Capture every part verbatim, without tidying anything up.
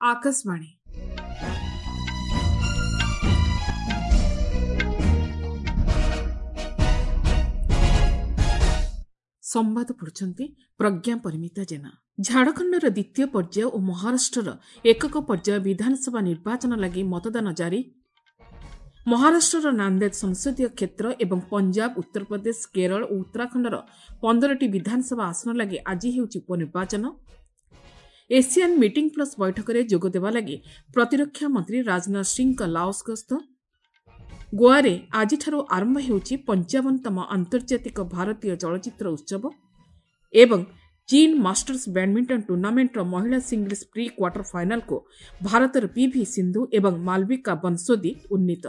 ଆକାଶବାଣୀ। ସମ୍ବାଦ ପଢୁଛନ୍ତି ପ୍ରଜ୍ଞା ପରିମିତା ଜେନା। ଝାଡ଼ଖଣ୍ଡର ଦ୍ୱିତୀୟ ପର୍ଯ୍ୟାୟ ଓ ମହାରାଷ୍ଟ୍ରର ଏକକ ପର୍ଯ୍ୟାୟ ବିଧାନସଭା ନିର୍ବାଚନ ଲାଗି ମତଦାନ ଜାରି। ମହାରାଷ୍ଟ୍ରର ନାନ୍ଦେଦ ସଂସଦୀୟ କ୍ଷେତ୍ର ଏବଂ ପଞ୍ଜାବ, ଉତ୍ତରପ୍ରଦେଶ, କେରଳ ଓ ଉତ୍ତରାଖଣ୍ଡର ପନ୍ଦରଟି ବିଧାନସଭା ଆସନ ଲାଗି ଆଜି ହେଉଛି ଉପନିର୍ବାଚନ। ଏସିଆନ୍ ମିଟିଂ ପ୍ଲସ୍ ବୈଠକରେ ଯୋଗଦେବା ଲାଗି ପ୍ରତିରକ୍ଷା ମନ୍ତ୍ରୀ ରାଜନାଥ ସିଂହଙ୍କ ଲାଓସ୍ ଗସ୍ତ। ଗୋଆରେ ଆଜିଠାରୁ ଆରମ୍ଭ ହେଉଛି ପଞ୍ଚାବନତମ ଆନ୍ତର୍ଜାତିକ ଭାରତୀୟ ଚଳଚ୍ଚିତ୍ର ଉତ୍ସବ ଏବଂ ଚୀନ୍ ମାଷ୍ଟର୍ସ ବ୍ୟାଡ୍ମିଣ୍ଟନ ଟୁର୍ଣ୍ଣାମେଣ୍ଟର ମହିଳା ସିଙ୍ଗଲ୍ସ ପ୍ରି କ୍ୱାର୍ଟର ଫାଇନାଲକୁ ଭାରତର ପିଭି ସିନ୍ଧୁ ଏବଂ ମାଲବିକା ବନ୍ସୋଦି ଉନ୍ନୀତ।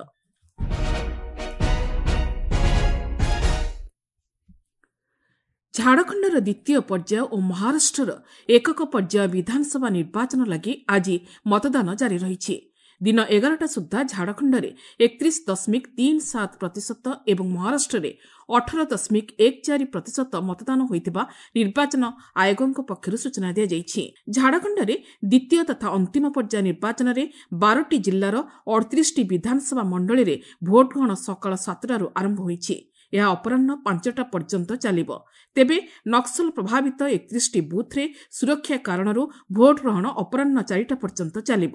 ଝାଡ଼ଖଣ୍ଡର ଦ୍ୱିତୀୟ ପର୍ଯ୍ୟାୟ ଓ ମହାରାଷ୍ଟ୍ରର ଏକକ ପର୍ଯ୍ୟାୟ ବିଧାନସଭା ନିର୍ବାଚନ ଲାଗି ଆଜି ମତଦାନ ଜାରି ରହିଛି। ଦିନ ଏଗାରଟା ସୁଦ୍ଧା ଝାଡ଼ଖଣ୍ଡରେ ଏକତିରିଶ ଦଶମିକ ତିନି ସାତ ପ୍ରତିଶତ ଏବଂ ମହାରାଷ୍ଟ୍ରରେ ଅଠର ଦଶମିକ ଏକ ଚାରି ପ୍ରତିଶତ ମତଦାନ ହୋଇଥିବା ନିର୍ବାଚନ ଆୟୋଗଙ୍କ ପକ୍ଷରୁ ସୂଚନା ଦିଆଯାଇଛି। ଝାଡ଼ଖଣ୍ଡରେ ଦ୍ୱିତୀୟ ତଥା ଅନ୍ତିମ ପର୍ଯ୍ୟାୟ ନିର୍ବାଚନରେ ବାରଟି ଜିଲ୍ଲାର ଅଠତିରିଶଟି ବିଧାନସଭା ମଣ୍ଡଳୀରେ ଭୋଟଗ୍ରହଣ ସକାଳ ସାତଟାରୁ ଆରମ୍ଭ ହୋଇଛି। ଏହା ଅପରାହ୍ନ ପାଞ୍ଚଟା ପର୍ଯ୍ୟନ୍ତ ଚାଲିବ। ତେବେ ନକ୍ସଲ ପ୍ରଭାବିତ ଏକତିରିଶଟି ବୁଥ୍ରେ ସୁରକ୍ଷା କାରଣରୁ ଭୋଟଗ୍ରହଣ ଅପରାହ୍ନ ଚାରିଟା ପର୍ଯ୍ୟନ୍ତ ଚାଲିବ।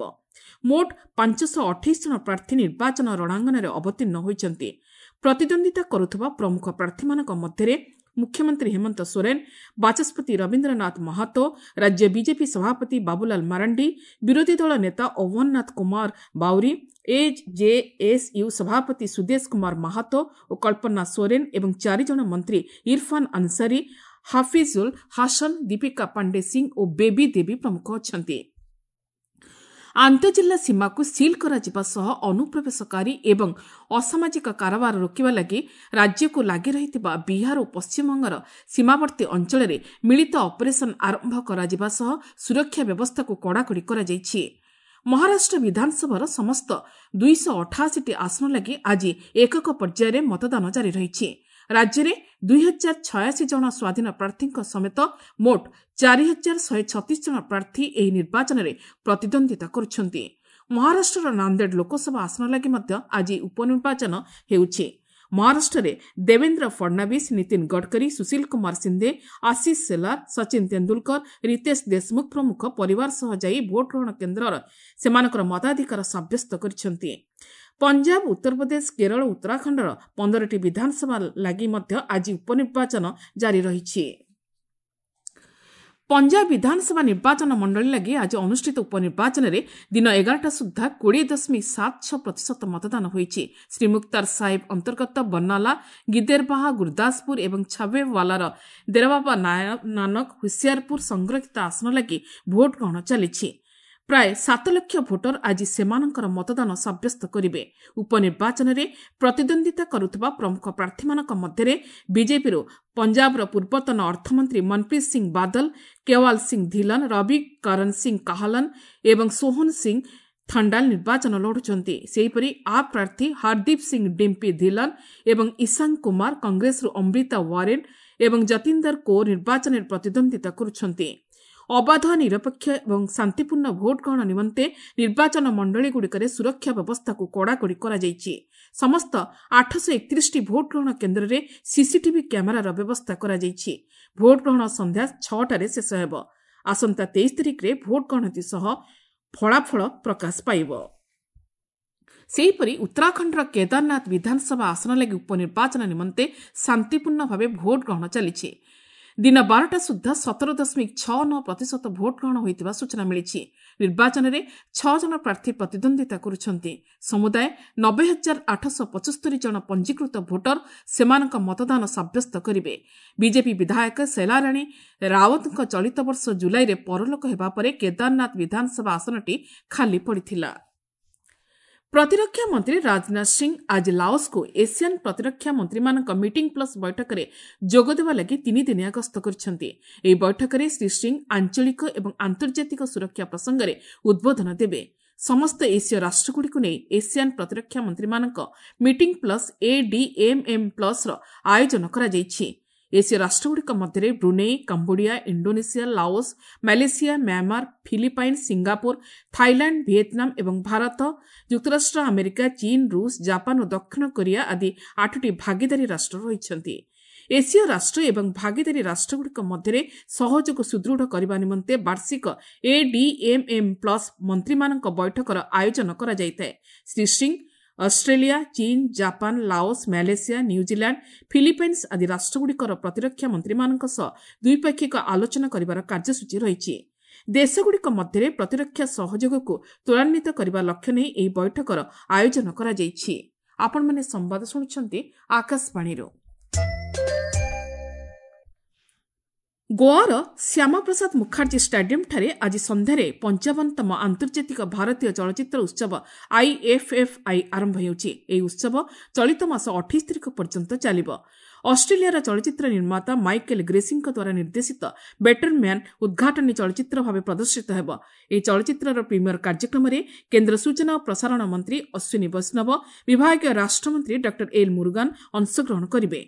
ମୋଟ ପାଞ୍ଚଶହ ଅଠେଇଶ ଜଣ ପ୍ରାର୍ଥୀ ନିର୍ବାଚନ ରଣାଙ୍ଗନରେ ଅବତୀର୍ଣ୍ଣ ହୋଇଛନ୍ତି। ପ୍ରତିଦ୍ୱନ୍ଦ୍ୱିତା କରୁଥିବା ପ୍ରମୁଖ ପ୍ରାର୍ଥୀମାନଙ୍କ ମଧ୍ୟରେ ମୁଖ୍ୟମନ୍ତ୍ରୀ ହେମନ୍ତ ସୋରେନ, ବାଚସ୍ପତି ରବୀନ୍ଦ୍ରନାଥ ମହାତୋ, ରାଜ୍ୟ ବିଜେପି ସଭାପତି ବାବୁଲାଲ ମାରାଣ୍ଡି, ବିରୋଧୀ ଦଳ ନେତା ଅହ୍ୱାନନାଥ କୁମାର ବାଉରୀ, ଏଜେଏସ୍ୟୁ ସଭାପତି ସୁଦେଶ କୁମାର ମାହାତୋ ଓ କଳ୍ପନା ସୋରେନ ଏବଂ ଚାରିଜଣ ମନ୍ତ୍ରୀ ଇରଫାନ ଅନସାରୀ, ହାଫିଜୁଲ ହାସନ, ଦୀପିକା ପାଣ୍ଡେ ସିଂ ଓ ବେବି ଦେବୀ ପ୍ରମୁଖ ଅଛନ୍ତି। ଆନ୍ତଃଜିଲ୍ଲା ସୀମାକୁ ସିଲ୍ କରାଯିବା ସହ ଅନୁପ୍ରବେଶକାରୀ ଏବଂ ଅସାମାଜିକ କାରବାର ରୋକିବା ଲାଗି ରାଜ୍ୟକୁ ଲାଗି ରହିଥିବା ବିହାର ଓ ପଶ୍ଚିମବଙ୍ଗର ସୀମାବର୍ତ୍ତୀ ଅଞ୍ଚଳରେ ମିଳିତ ଅପରେସନ୍ ଆରମ୍ଭ କରାଯିବା ସହ ସୁରକ୍ଷା ବ୍ୟବସ୍ଥାକୁ କଡ଼ାକଡ଼ି କରାଯାଇଛି। ମହାରାଷ୍ଟ୍ର ବିଧାନସଭାର ସମସ୍ତ ଦୁଇଶହ ଅଠାଅଶୀଟି ଆସନ ଲାଗି ଆଜି ଏକକ ପର୍ଯ୍ୟାୟରେ ମତଦାନ ଜାରି ରହିଛି। ରାଜ୍ୟରେ ଦୁଇ ହଜାର ଛୟାଅଶୀ ଜଣ ସ୍ୱାଧୀନ ପ୍ରାର୍ଥୀଙ୍କ ସମେତ ମୋଟ ଚାରି ହଜାର ଶହେ ଛତିଶ ଜଣ ପ୍ରାର୍ଥୀ ଏହି ନିର୍ବାଚନରେ ପ୍ରତିଦ୍ୱନ୍ଦ୍ୱିତା କରୁଛନ୍ତି। ମହାରାଷ୍ଟ୍ରର ନାନ୍ଦେଡ଼ ଲୋକସଭା ଆସନ ଲାଗି ମଧ୍ୟ ଆଜି ଉପନିର୍ବାଚନ ହେଉଛି। ମହାରାଷ୍ଟ୍ରରେ ଦେବେନ୍ଦ୍ର ଫଡନାବିସ୍, ନୀତିନ ଗଡ଼କରୀ, ସୁଶୀଲ କୁମାର ସିନ୍ଦେ, ଆଶିଷ ସେଲାର, ସଚିନ ତେନ୍ଦୁଲକର, ରିତେଶ ଦେଶମୁଖ ପ୍ରମୁଖ ପରିବାର ସହ ଯାଇ ଭୋଟଗ୍ରହଣ କେନ୍ଦ୍ରର ସେମାନଙ୍କର ମତାଧିକାର ସାବ୍ୟସ୍ତ କରିଛନ୍ତି। ପଞ୍ଜାବ, ଉତ୍ତରପ୍ରଦେଶ, କେରଳ, ଉତ୍ତରାଖଣ୍ଡର ପନ୍ଦରଟି ବିଧାନସଭା ଲାଗି ମଧ୍ୟ ଆଜି ଉପନିର୍ବାଚନ ଜାରି ରହିଛି। ପଞ୍ଜାବ ବିଧାନସଭା ନିର୍ବାଚନ ମଣ୍ଡଳୀ ଲାଗି ଆଜି ଅନୁଷ୍ଠିତ ଉପନିର୍ବାଚନରେ ଦିନ ଏଗାରଟା ସୁଦ୍ଧା କୋଡ଼ିଏ ଦଶମିକ ସାତ ଛଅ ପ୍ରତିଶତ ମତଦାନ ହୋଇଛି। ଶ୍ରୀ ମୁକ୍ତାର ସାହିବ ଅନ୍ତର୍ଗତ ବର୍ଣ୍ଣାଲା, ଗିଦେରବାହା, ଗୁରୁଦାସପୁର ଏବଂ ଛାବେୱାଲାର ଦେରବାବା ନାନକ, ହୁସିଆରପୁର ସଂରକ୍ଷିତ ଆସନ ଲାଗି ଭୋଟ ଗ୍ରହଣ ଚାଲିଛି। ପ୍ରାୟ ସାତ ଲକ୍ଷ ଭୋଟର ଆଜି ସେମାନଙ୍କର ମତଦାନ ସାବ୍ୟସ୍ତ କରିବେ। ଉପନିର୍ବାଚନରେ ପ୍ରତିଦ୍ୱନ୍ଦ୍ୱିତା କରୁଥିବା ପ୍ରମୁଖ ପ୍ରାର୍ଥୀମାନଙ୍କ ମଧ୍ୟରେ ବିଜେପିରୁ ପଞ୍ଜାବର ପୂର୍ବତନ ଅର୍ଥମନ୍ତ୍ରୀ ମନପ୍ରୀତ ସିଂ ବାଦଲ, କେୱାଲ ସିଂ ଧିଲନ, ରବି କରଣ ସିଂ କାହଲନ ଏବଂ ସୋହନ ସିଂ ଥଣ୍ଡାଲ ନିର୍ବାଚନ ଲଢ଼ୁଛନ୍ତି। ସେହିପରି ଆପ୍ ପ୍ରାର୍ଥୀ ହରଦୀପ ସିଂ ଡିମ୍ପି ଧିଲନ ଏବଂ ଇଶାଙ୍ଗ କୁମାର, କଂଗ୍ରେସରୁ ଅମ୍ରିତା ୱାରେନ୍ ଏବଂ ଯତିନ୍ଦର କୌର ନିର୍ବାଚନରେ ପ୍ରତିଦ୍ୱନ୍ଦ୍ୱିତା କରୁଛନ୍ତି। ଅବାଧ, ନିରପେକ୍ଷ ଏବଂ ଶାନ୍ତିପୂର୍ଣ୍ଣ ଭୋଟ ଗ୍ରହଣ ନିମନ୍ତେ ନିର୍ବାଚନ ମଣ୍ଡଳୀଗୁଡ଼ିକରେ ସୁରକ୍ଷା ବ୍ୟବସ୍ଥାକୁ କଡ଼ାକଡ଼ି କରାଯାଇଛି। ସମସ୍ତ ଆଠଶହ ଏକତିରିଶଟି ଭୋଟ ଗ୍ରହଣ କେନ୍ଦ୍ରରେ ସିସିଟିଭି କ୍ୟାମେରାର ବ୍ୟବସ୍ଥା କରାଯାଇଛି। ଭୋଟ ଗ୍ରହଣ ସନ୍ଧ୍ୟା ଛଅଟାରେ ଶେଷ ହେବ। ଆସନ୍ତା ତେଇଶ ତାରିଖରେ ଭୋଟ ଗଣତି ସହ ଫଳାଫଳ ପ୍ରକାଶ ପାଇବ। ସେହିପରି ଉତ୍ତରାଖଣ୍ଡର କେଦାରନାଥ ବିଧାନସଭା ଆସନ ଲାଗି ଉପନିର୍ବାଚନ ନିମନ୍ତେ ଶାନ୍ତିପୂର୍ଣ୍ଣ ଭାବେ ଭୋଟ ଗ୍ରହଣ ଚାଲିଛି। ଦିନ ବାରଟା ସୁଦ୍ଧା ସତର ଦଶମିକ ଛଅ ନଅ ପ୍ରତିଶତ ଭୋଟ ଗ୍ରହଣ ହୋଇଥିବା ସୂଚନା ମିଳିଛି। ନିର୍ବାଚନରେ ଛଅ ଜଣ ପ୍ରାର୍ଥୀ ପ୍ରତିଦ୍ୱନ୍ଦ୍ୱିତା କରୁଛନ୍ତି। ସମୁଦାୟ ନବେ ହଜାର ଆଠଶହ ପଞ୍ଚସ୍ତରୀ ଜଣ ପଞ୍ଜୀକୃତ ଭୋଟର ସେମାନଙ୍କ ମତଦାନ ସାବ୍ୟସ୍ତ କରିବେ। ବିଜେପି ବିଧାୟକ ଶୈଲାରାଣୀ ରାୱତଙ୍କ ଚଳିତ ବର୍ଷ ଜୁଲାଇରେ ପରଲୋକ ହେବା ପରେ କେଦାରନାଥ ବିଧାନସଭା ଆସନଟି ଖାଲି ପଡ଼ିଥିଲା। ପ୍ରତିରକ୍ଷା ମନ୍ତ୍ରୀ ରାଜନାଥ ସିଂ ଆଜି ଲାଓସ୍କୁ ଏସିଆନ୍ ପ୍ରତିରକ୍ଷା ମନ୍ତ୍ରୀମାନଙ୍କ ମିଟିଂ ପ୍ଲସ୍ ବୈଠକରେ ଯୋଗଦେବା ଲାଗି ତିନିଦିନିଆ ଗସ୍ତ କରିଛନ୍ତି। ଏହି ବୈଠକରେ ଶ୍ରୀ ସିଂ ଆଞ୍ଚଳିକ ଏବଂ ଆନ୍ତର୍ଜାତିକ ସୁରକ୍ଷା ପ୍ରସଙ୍ଗରେ ଉଦ୍ବୋଧନ ଦେବେ। ସମସ୍ତ ଏସୀୟ ରାଷ୍ଟ୍ରଗୁଡ଼ିକୁ ନେଇ ଏସିଆନ୍ ପ୍ରତିରକ୍ଷା ମନ୍ତ୍ରୀମାନଙ୍କ ମିଟିଂ ପ୍ଲସ୍ ଏଡିଏମ୍ଏମ୍ ପ୍ଲସ୍ର ଆୟୋଜନ କରାଯାଇଛି। ଏସୀୟ ରାଷ୍ଟ୍ରଗୁଡ଼ିକ ମଧ୍ୟରେ Brunei, Cambodia, Indonesia, Laos, Malaysia, Myanmar, Philippines, Singapore, Thailand, Vietnam ଏବଂ ଭାରତ, ଯୁକ୍ତରାଷ୍ଟ୍ର ଆମେରିକା, ଚୀନ, ରୁଷ, ଜାପାନ ଓ ଦକ୍ଷିଣ କୋରିଆ ଆଦି ଆଠଟି ଭାଗିଦାରୀ ରାଷ୍ଟ୍ର ରହିଛନ୍ତି। ଏସୀୟ ରାଷ୍ଟ୍ର ଏବଂ ଭାଗିଦାରୀ ରାଷ୍ଟ୍ରଗୁଡ଼ିକ ମଧ୍ୟରେ ସହଯୋଗ ସୁଦୃଢ଼ କରିବା ନିମନ୍ତେ ବାର୍ଷିକ ଏଡିଏମ୍ଏମ୍ ପ୍ଲସ୍ ମନ୍ତ୍ରୀମାନଙ୍କ ବୈଠକର ଆୟୋଜନ କରାଯାଇଥାଏ। ଶ୍ରୀ ସିଂ ଅଷ୍ଟ୍ରେଲିଆ, ଚୀନ, Japan, Laos, Malaysia, New Zealand, Philippines ଆଦି ରାଷ୍ଟ୍ରଗୁଡ଼ିକର ପ୍ରତିରକ୍ଷା ମନ୍ତ୍ରୀମାନଙ୍କ ସହ ଦ୍ୱିପାକ୍ଷିକ ଆଲୋଚନା କରିବାର କାର୍ଯ୍ୟସୂଚୀ ରହିଛି। ଦେଶଗୁଡ଼ିକ ମଧ୍ୟରେ ପ୍ରତିରକ୍ଷା ସହଯୋଗକୁ ତ୍ୱରାନ୍ୱିତ କରିବା ଲକ୍ଷ୍ୟ ନେଇ ଏହି ବୈଠକର ଆୟୋଜନ କରାଯାଇଛି। ଆପଣମାନେ ସମ୍ବାଦ ଶୁଣୁଛନ୍ତି ଆକାଶବାଣୀରୁ। ଗୋଆର ଶ୍ୟାମାପ୍ରସାଦ ମୁଖାର୍ଜୀ ଷ୍ଟାଡିୟମ୍ଠାରେ ଆଜି ସନ୍ଧ୍ୟାରେ ପଞ୍ଚାବନତମ ଆନ୍ତର୍ଜାତିକ ଭାରତୀୟ ଚଳଚ୍ଚିତ୍ର ଉତ୍ସବ ଆଇଏଫ୍ଏଫ୍ଆଇ ଆରମ୍ଭ ହେଉଛି। ଏହି ଉତ୍ସବ ଚଳିତ ମାସ ଅଠେଇଶ ତାରିଖ ପର୍ଯ୍ୟନ୍ତ ଚାଲିବ। ଅଷ୍ଟ୍ରେଲିଆର ଚଳଚ୍ଚିତ୍ର ନିର୍ମାତା ମାଇକେଲ ଗ୍ରେସିଙ୍କ ଦ୍ୱାରା ନିର୍ଦ୍ଦେଶିତ ବେଟର ମ୍ୟାନ୍ ଉଦ୍ଘାଟନୀ ଚଳଚ୍ଚିତ୍ର ଭାବେ ପ୍ରଦର୍ଶିତ ହେବ। ଏହି ଚଳଚ୍ଚିତ୍ରର ପ୍ରିମିୟର କାର୍ଯ୍ୟକ୍ରମରେ କେନ୍ଦ୍ର ସୂଚନା ଓ ପ୍ରସାରଣ ମନ୍ତ୍ରୀ ଅଶ୍ୱିନୀ ବୈଷ୍ଣବ, ବିଭାଗୀୟ ରାଷ୍ଟ୍ରମନ୍ତ୍ରୀ ଡକ୍ଟର ଏଲ୍ ମୁରୁଗାନ ଅଂଶଗ୍ରହଣ କରିବେ।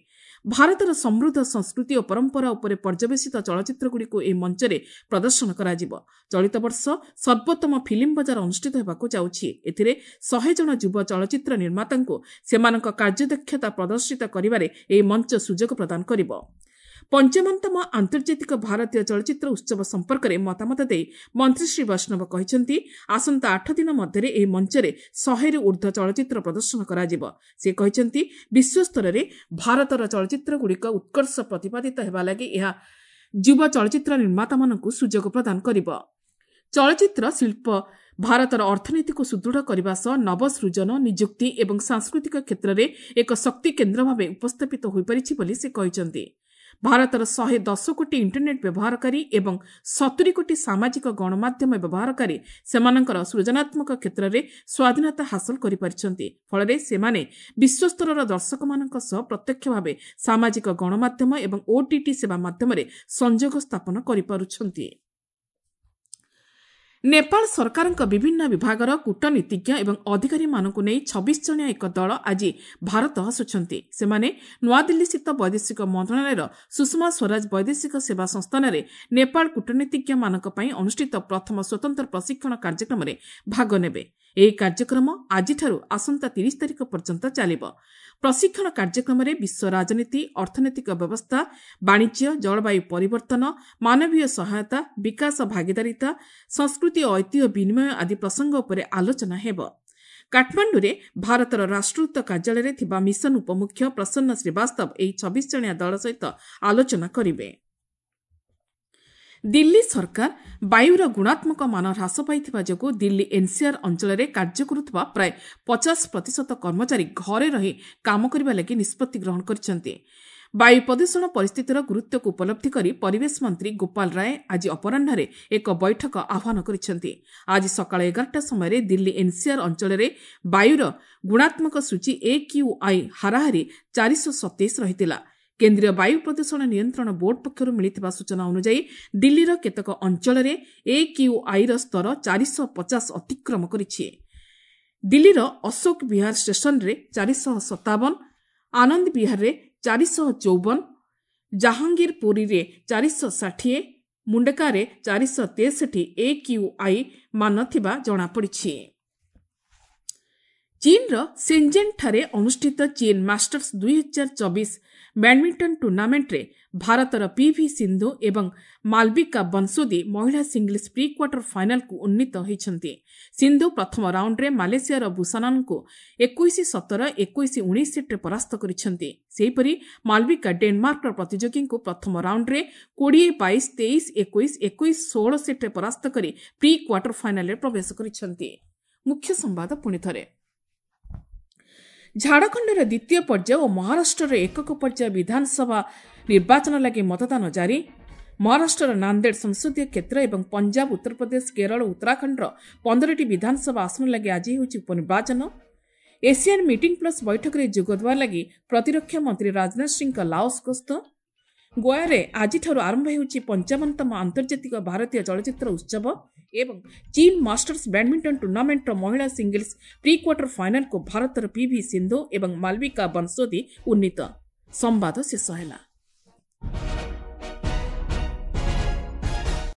ଭାରତର ସମୃଦ୍ଧ ସଂସ୍କୃତି ଓ ପରମ୍ପରା ଉପରେ ପର୍ଯ୍ୟବେସିତ ଚଳଚ୍ଚିତ୍ରଗୁଡ଼ିକୁ ଏହି ମଞ୍ଚରେ ପ୍ରଦର୍ଶନ କରାଯିବ। ଚଳିତ ବର୍ଷ ସର୍ବୋତ୍ତମ ଫିଲ୍ମ ବଜାର ଅନୁଷ୍ଠିତ ହେବାକୁ ଯାଉଛି। ଏଥିରେ ଶହେ ଜଣ ଯୁବ ଚଳଚ୍ଚିତ୍ର ନିର୍ମାତାଙ୍କୁ ସେମାନଙ୍କ କାର୍ଯ୍ୟଦକ୍ଷତା ପ୍ରଦର୍ଶିତ କରିବାରେ ଏହି ମଞ୍ଚ ସୁଯୋଗ ପ୍ରଦାନ କରିବ। ପଞ୍ଚମତମ ଆନ୍ତର୍ଜାତିକ ଭାରତୀୟ ଚଳଚ୍ଚିତ୍ର ଉତ୍ସବ ସମ୍ପର୍କରେ ମତାମତ ଦେଇ ମନ୍ତ୍ରୀ ଶ୍ରୀ ବୈଷ୍ଣବ କହିଛନ୍ତି, ଆସନ୍ତା ଆଠ ଦିନ ମଧ୍ୟରେ ଏହି ମଞ୍ଚରେ ଶହେରୁ ଉର୍ଦ୍ଧ୍ୱ ଚଳଚ୍ଚିତ୍ର ପ୍ରଦର୍ଶନ କରାଯିବ। ସେ କହିଛନ୍ତି, ବିଶ୍ୱସ୍ତରରେ ଭାରତର ଚଳଚ୍ଚିତ୍ରଗୁଡ଼ିକ ଉତ୍କର୍ଷ ପ୍ରତିପାଦିତ ହେବା ଲାଗି ଏହା ଯୁବ ଚଳଚ୍ଚିତ୍ର ନିର୍ମାତାମାନଙ୍କୁ ସୁଯୋଗ ପ୍ରଦାନ କରିବ। ଚଳଚ୍ଚିତ୍ର ଶିଳ୍ପ ଭାରତର ଅର୍ଥନୀତିକୁ ସୁଦୃଢ଼ କରିବା ସହ ନବସୃଜନ, ନିଯୁକ୍ତି ଏବଂ ସାଂସ୍କୃତିକ କ୍ଷେତ୍ରରେ ଏକ ଶକ୍ତି କେନ୍ଦ୍ର ଭାବେ ଉପସ୍ଥାପିତ ହୋଇପାରିଛି ବୋଲି ସେ କହିଛନ୍ତି। ଭାରତର ଶହେ ଦଶ କୋଟି ଇଣ୍ଟରନେଟ୍ ବ୍ୟବହାରକାରୀ ଏବଂ ସତୁରି କୋଟି ସାମାଜିକ ଗଣମାଧ୍ୟମ ବ୍ୟବହାରକାରୀ ସେମାନଙ୍କର ସୃଜନାତ୍ମକ କ୍ଷେତ୍ରରେ ସ୍ୱାଧୀନତା ହାସଲ କରିପାରିଛନ୍ତି। ଫଳରେ ସେମାନେ ବିଶ୍ୱସ୍ତରର ଦର୍ଶକମାନଙ୍କ ସହ ପ୍ରତ୍ୟକ୍ଷ ଭାବେ ସାମାଜିକ ଗଣମାଧ୍ୟମ ଏବଂ ଓଟିଟି ସେବା ମାଧ୍ୟମରେ ସଂଯୋଗ ସ୍ଥାପନ କରିପାରୁଛନ୍ତି। ନେପାଳ ସରକାରଙ୍କ ବିଭିନ୍ନ ବିଭାଗର କୂଟନୀତିଜ୍ଞ ଏବଂ ଅଧିକାରୀମାନଙ୍କୁ ନେଇ ଛବିଶ ଜଣିଆ ଏକ ଦଳ ଆଜି ଭାରତ ଆସୁଛନ୍ତି। ସେମାନେ ନୂଆଦିଲ୍ଲୀସ୍ଥିତ ବୈଦେଶିକ ମନ୍ତ୍ରଣାଳୟର ସୁଷମା ସ୍ୱରାଜ ବୈଦେଶିକ ସେବା ସଂସ୍ଥାନରେ ନେପାଳ କୂଟନୀତିଜ୍ଞମାନଙ୍କ ପାଇଁ ଅନୁଷ୍ଠିତ ପ୍ରଥମ ସ୍ୱତନ୍ତ୍ର ପ୍ରଶିକ୍ଷଣ କାର୍ଯ୍ୟକ୍ରମରେ ଭାଗ ନେବେ। ଏହି କାର୍ଯ୍ୟକ୍ରମ ଆଜିଠାରୁ ଆସନ୍ତା ତିରିଶ ତାରିଖ ପର୍ଯ୍ୟନ୍ତ ଚାଲିବ। ପ୍ରଶିକ୍ଷଣ କାର୍ଯ୍ୟକ୍ରମରେ ବିଶ୍ୱ ରାଜନୀତି, ଅର୍ଥନୈତିକ ବ୍ୟବସ୍ଥା, ବାଣିଜ୍ୟ, ଜଳବାୟୁ ପରିବର୍ତ୍ତନ, ମାନବୀୟ ସହାୟତା, ବିକାଶ ଭାଗିଦାରିତା, ସଂସ୍କୃତି ଓ ଐତିହ୍ୟ ବିନିମୟ ଆଦି ପ୍ରସଙ୍ଗ ଉପରେ ଆଲୋଚନା ହେବ। କାଠମାଣ୍ଡୁରେ ଭାରତର ରାଷ୍ଟ୍ରଦୂତ କାର୍ଯ୍ୟାଳୟରେ ଥିବା ମିଶନ ଉପମୁଖ୍ୟ ପ୍ରସନ୍ନ ଶ୍ରୀବାସ୍ତବ ଏହି ଛବିଶ ଜଣିଆ ଦଳ ସହିତ ଆଲୋଚନା କରିବେ। ଦିଲ୍ଲୀ ସରକାର ବାୟୁର ଗୁଣାତ୍ମକ ମାନ ହ୍ରାସ ପାଇଥିବା ଯୋଗୁଁ ଦିଲ୍ଲୀ ଏନ୍ସିଆର୍ ଅଞ୍ଚଳରେ କାର୍ଯ୍ୟ କରୁଥିବା ପ୍ରାୟ ପଚାଶ ପ୍ରତିଶତ କର୍ମଚାରୀ ଘରେ ରହି କାମ କରିବା ଲାଗି ନିଷ୍ପତ୍ତି ଗ୍ରହଣ କରିଛନ୍ତି। ବାୟୁ ପ୍ରଦୂଷଣ ପରିସ୍ଥିତିର ଗୁରୁତ୍ୱକୁ ଉପଲବ୍ଧି କରି ପରିବେଶ ମନ୍ତ୍ରୀ ଗୋପାଳ ରାୟ ଆଜି ଅପରାହ୍ନରେ ଏକ ବୈଠକ ଆହ୍ୱାନ କରିଛନ୍ତି। ଆଜି ସକାଳ ଏଗାରଟା ସମୟରେ ଦିଲ୍ଲୀ ଏନ୍ସିଆର୍ ଅଞ୍ଚଳରେ ବାୟୁର ଗୁଣାତ୍ମକ ସୂଚୀ ଏକ୍ୟୁଆଇ ହାରାହାରି ଚାରିଶହ ସତେଇଶ ରହିଥିଲା। କେନ୍ଦ୍ରୀୟ ବାୟୁ ପ୍ରଦୂଷଣ ନିୟନ୍ତ୍ରଣ ବୋର୍ଡ ପକ୍ଷରୁ ମିଳିଥିବା ସୂଚନା ଅନୁଯାୟୀ ଦିଲ୍ଲୀର କେତେକ ଅଞ୍ଚଳରେ ଏକ୍ୟୁଆଇର ସ୍ତର ଚାରିଶହ ପଚାଶ ଅତିକ୍ରମ କରିଛି। ଦିଲ୍ଲୀର ଅଶୋକ ବିହାର ଷ୍ଟେସନରେ ଚାରିଶହ ସତାବନ, ଆନନ୍ଦ ବିହାରରେ ଚାରିଶହ ଚଉବନ, ଜାହାଙ୍ଗୀରପୁରୀରେ ଚାରିଶହ ଷାଠିଏ, ମୁଣ୍ଡକାରେ ଚାରିଶହ ତେଷଠି ଏକ୍ୟୁଆଇ ମାନ ଥିବା ଜଣାପଡ଼ିଛି। ଚୀନର ସେଞ୍ଜେନ୍ଠାରେ ଅନୁଷ୍ଠିତ ଚୀନ ମାଷ୍ଟର୍ସ ଦୁଇହଜାର ଚବିଶ ବ୍ୟାଡମିଣ୍ଟନ ଟୁର୍ଣ୍ଣାମେଣ୍ଟରେ ଭାରତର ପିଭି ସିନ୍ଧୁ ଏବଂ ମାଲବିକା ବନ୍ସୋଦି ମହିଳା ସିଙ୍ଗଲ୍ସ ପ୍ରି କ୍ୱାର୍ଟର ଫାଇନାଲକୁ ଉନ୍ନୀତ ହୋଇଛନ୍ତି। ସିନ୍ଧୁ ପ୍ରଥମ ରାଉଣ୍ଡରେ ମାଲେସିଆର ବୁସାନାନଙ୍କୁ ଏକୋଇଶ ସତର, ଏକୋଇଶ ଉଣେଇଶ ସେଟ୍ରେ ପରାସ୍ତ କରିଛନ୍ତି। ସେହିପରି ମାଲବିକା ଡେନମାର୍କର ପ୍ରତିଯୋଗୀଙ୍କୁ ପ୍ରଥମ ରାଉଣ୍ଡରେ କୋଡ଼ିଏ ବାଇଶ, ତେଇଶ ଏକୋଇଶ, ଏକୋଇଶ ଷୋହଳ ସେଟ୍ରେ ପରାସ୍ତ କରି ପ୍ରି କ୍ୱାର୍ଟର ଫାଇନାଲରେ ପ୍ରବେଶ କରିଛନ୍ତି। ମୁଖ୍ୟ ସମ୍ବାଦ ପୁଣିଥରେ। ଝାଡ଼ଖଣ୍ଡର ଦ୍ୱିତୀୟ ପର୍ଯ୍ୟାୟ ଓ ମହାରାଷ୍ଟ୍ରର ଏକକ ପର୍ଯ୍ୟାୟ ବିଧାନସଭା ନିର୍ବାଚନ ଲାଗି ମତଦାନ ଜାରି। ମହାରାଷ୍ଟ୍ରର ନାନ୍ଦେଡ଼ ସଂସଦୀୟ କ୍ଷେତ୍ର ଏବଂ ପଞ୍ଜାବ, ଉତ୍ତରପ୍ରଦେଶ, କେରଳ, ଉତ୍ତରାଖଣ୍ଡର ପନ୍ଦରଟି ବିଧାନସଭା ଆସନ ଲାଗି ଆଜି ହେଉଛି ଉପନିର୍ବାଚନ। ଏସିଆନ୍ ମିଟିଂ ପ୍ଲସ୍ ବୈଠକରେ ଯୋଗଦେବା ଲାଗି ପ୍ରତିରକ୍ଷା ମନ୍ତ୍ରୀ ରାଜନାଥ ସିଂଙ୍କ ଲାଓସ୍ ଗସ୍ତ। ଗୋଆରେ ଆଜିଠାରୁ ଆରମ୍ଭ ହେଉଛି ପଞ୍ଚାବନତମ ଆନ୍ତର୍ଜାତିକ ଭାରତୀୟ ଚଳଚ୍ଚିତ୍ର ଉତ୍ସବ ଏବଂ ଚୀନ ମାଷ୍ଟର୍ସ ବ୍ୟାଡମିଣ୍ଟନ ଟୁର୍ଣ୍ଣାମେଣ୍ଟର ମହିଳା ସିଙ୍ଗଲ୍ସ ପ୍ରି କ୍ୱାର୍ଟର ଫାଇନାଲକୁ ଭାରତର ପିଭି ସିନ୍ଧୁ ଏବଂ ମାଲବିକା ବନ୍ସୋଦି ଉନ୍ନୀତ। ସମ୍ବାଦ ଶେଷ ହେଲା।